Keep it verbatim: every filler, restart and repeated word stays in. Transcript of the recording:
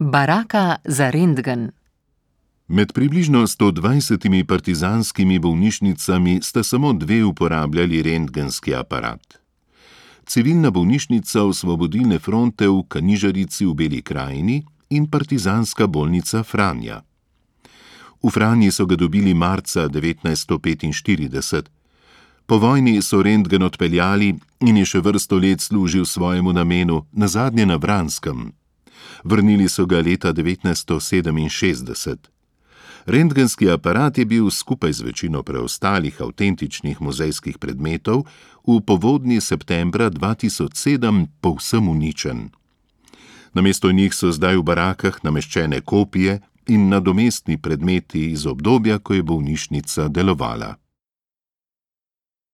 Baraka za rentgen. Med približno sto dvajsetimi partizanskimi bolnišnicami sta samo dve uporabljali rentgenski aparat. Civilna bolnišnica Osvobodilne fronte v Kanižarici v Beli krajini in partizanska bolnica Franja. V Franji so ga dobili marca devetnajststo petinštirideset. Po vojni so rentgen odpeljali in je še vrsto let služil svojemu namenu, nazadnje na Vranskem. Vrnili so ga leta devetnajststo sedeminšestdeset. Rentgenski aparat je bil skupaj z večino preostalih avtentičnih muzejskih predmetov v povodnji septembra dva tisoč sedem povsem uničen. Namesto njih so zdaj v barakah nameščene kopije in nadomestni predmeti iz obdobja, ko je bolnišnica delovala.